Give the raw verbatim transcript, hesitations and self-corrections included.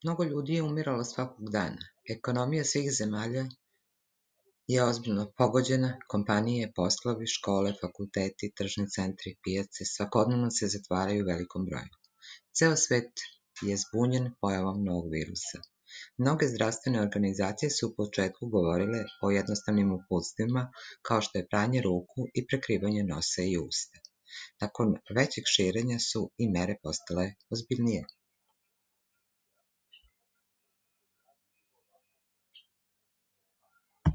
Mnogo ljudi je umiralo svakog dana. Ekonomija svih zemalja je ozbiljno pogođena, kompanije, poslovi, škole, fakulteti, tržni centri, pijace, svakodnevno se zatvaraju u velikom broju. Ceo svet je zbunjen pojavom novog virusa. Mnoge zdravstvene organizacije su u početku govorile o jednostavnim uputstvima kao što je pranje ruku i prekrivanje nosa i usta. Nakon većeg širenja su i mere postale ozbiljnije.